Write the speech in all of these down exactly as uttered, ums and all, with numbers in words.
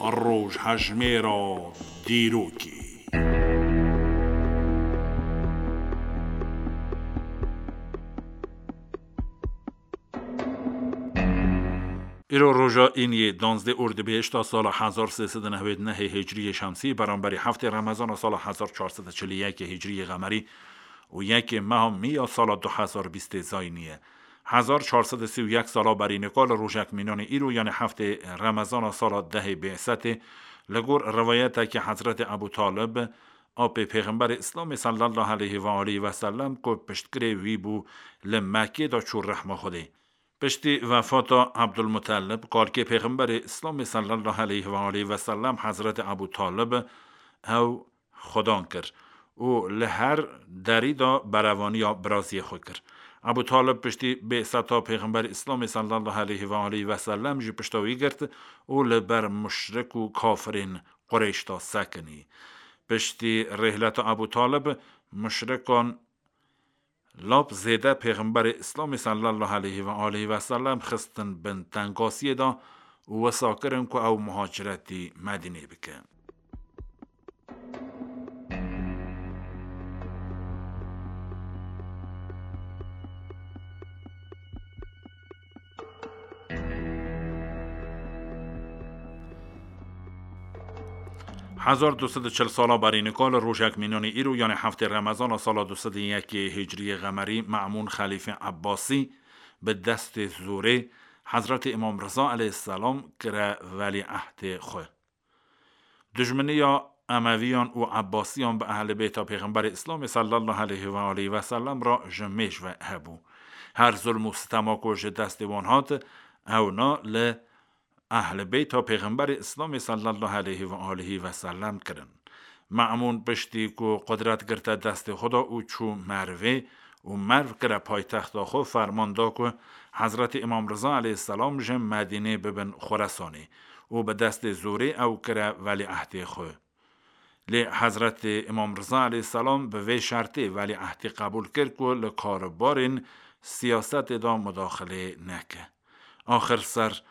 Rojhejmêra dîrokê. Îro roja îniyê danzdeh Ordibêhişta sala hezar sê sed û newêd nehê Hicriyê Şemsî, beramberî heftê Remezana sala hezar çar sed û çil û yekê Hicriyê Qemerî û yekê meha Mî ya sala du hezar bîstê Zayînî ye. Hezar çar sed û sî û yek sala berî nika li rojek mînanê îro, yanî heftê Remezana sala dehê Bê'setê, li gor riwayetekî Hezretê Ebû Talib, apê Pêxemberê Îslamê sallallahu aleyhi ve aleyhi ve sellem, ku piştgirê wî bû, li Mekkê de çû rehma Xwedê. Piştî wefata Ebdulmutelib, kalkê Pêxemberê Îslamê sallallahu aleyhi ve aleyhi ve sellem, Hezretê Ebû Talib, ew xudan kir û li her derî de berevaniya biraziyê xwe kir. Ebû Talib piştî bê'seta Pêxemberê Îslamê sallallahu aleyhi ve aleyhi ve sellem jî pişta wî girt û li ber muşrik û kafirên Qureyş de sekinî. Piştî rêhleta Ebû Talib, muşrikan lap zêde Pêxemberê Îslamê sallallahu aleyhi ve aleyhi ve sellem xistin bin tengasiyê de û wisa kirin ku ew muhaciretî Medînê bike. Hezar du sed û çil sala berî nika li rojek mînanê îro, yanî heftê Remezana sala du sed û yekê Hicriyê Qemerî, Me'mûn Xelîfê Ebbasî bi destê zorê Hezretê Îmam Riza aleyhisselam kire welîehdê xwe. Dijminiya Emeviyan û Ebbasiyan bi Ehlê Beyta Pêxemberê Îslamê sallallahu aleyhi ve aleyhi ve sellem re ji mêj ve hebû. Her zulm û sitema ku ji destê wan hat, ewna li Ehlê Beyta Pêxemberê Îslamê sallallahu aleyhi ve aleyhi ve sellem kirin. Me'mûn piştî ku qudret girte destê xwe de û çû Mervê û Merv kire paytexta xwe, ferman da ku Hezretê Îmam Riza aleyhisselam ji Medînê bibin Xuresanê û bi destê zorê ew kire welîehdê xwe. Lê Hezretê Îmam Riza aleyhisselam bi vê şertê welîehdê qebûl kir ku li karûbarên siyasetê de mudaxilê neke. Axir ser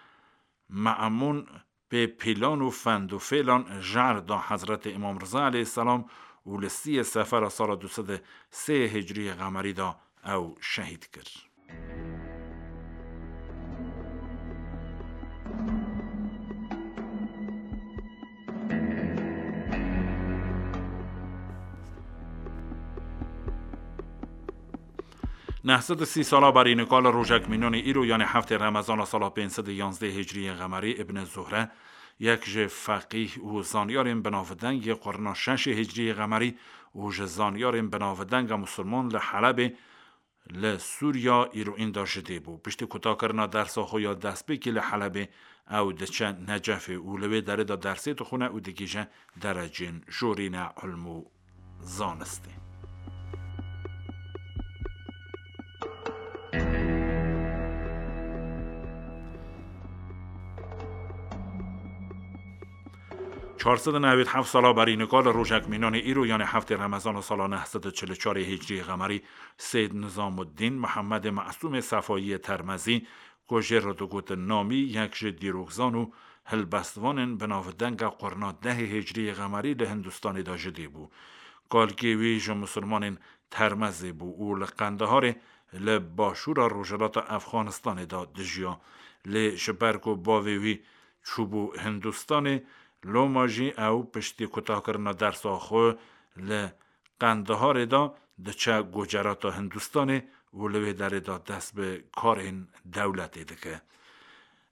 Me'mûn pê pîlan û fend û fêlan jar da Hezretê Îmam Riza aleyhisselam û li siyê Sefera sala du sed û sê Hicriyê Qemerî de ew şehîd kir. Neh sed û sî sala berî nika li rojek mînanê îro, yanî heftê Remezana sala pênc sed û yanzdeh Hicriyê Qemerî, Ibn Zuhre, yek ji feqîh û zanyarên binavdeng yê qurna şeşê Hicriyê Qemerî û ji zanyarên binavdeng a Musulman li Helebê, li Sûriya îroîn de ji dê bû. Piştî kutakirina dersa xwe ya destpêkî li Helebê, ew diçe Necefê û li wê derê de dersê dixwine û digihîje derecên jorîne ilm û zanistê. Çar sed û newêd heft sala berî nika li rojek mînanê îro, yanî heftê Remezana sala neh sed û çil û çarê Hicriyê Qemerî, Seyd Nizamuddîn Mihemedê Mesûmê Sefayiyê Termezî, ku jê re digotin Namî, yek ji dîrokzan û hilbestvanên binavdeng a qurna dehê Hicriyê Qemerî, li Hindistanê de ji dê bû. Kalkê wî ji Musulmanên Termezê bû û li Qendeharê, li başûra rojhilata Efxanistanê de dijiya. Lê ji ber ku bavê wî çûbû Hindistanê, loma jî ew piştî kutakirina dersa xwe li Qendeharê de diçe Gucerata Hindistanê û li wê derê de dest bi karên dewletê dike.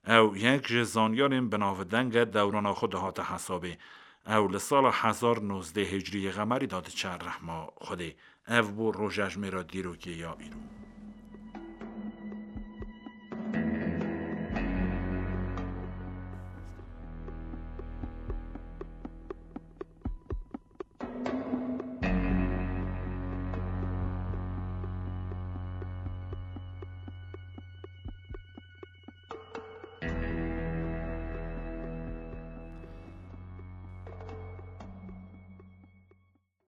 Ew yek ji zanyarên binavdeng e, dewrana xwe dihate hesabê. Ew li sala hezar nozdeh Hicriyê Qemerî de diçe rehma Xwedê. Ev bû rojejmêra dîrokê ya îro.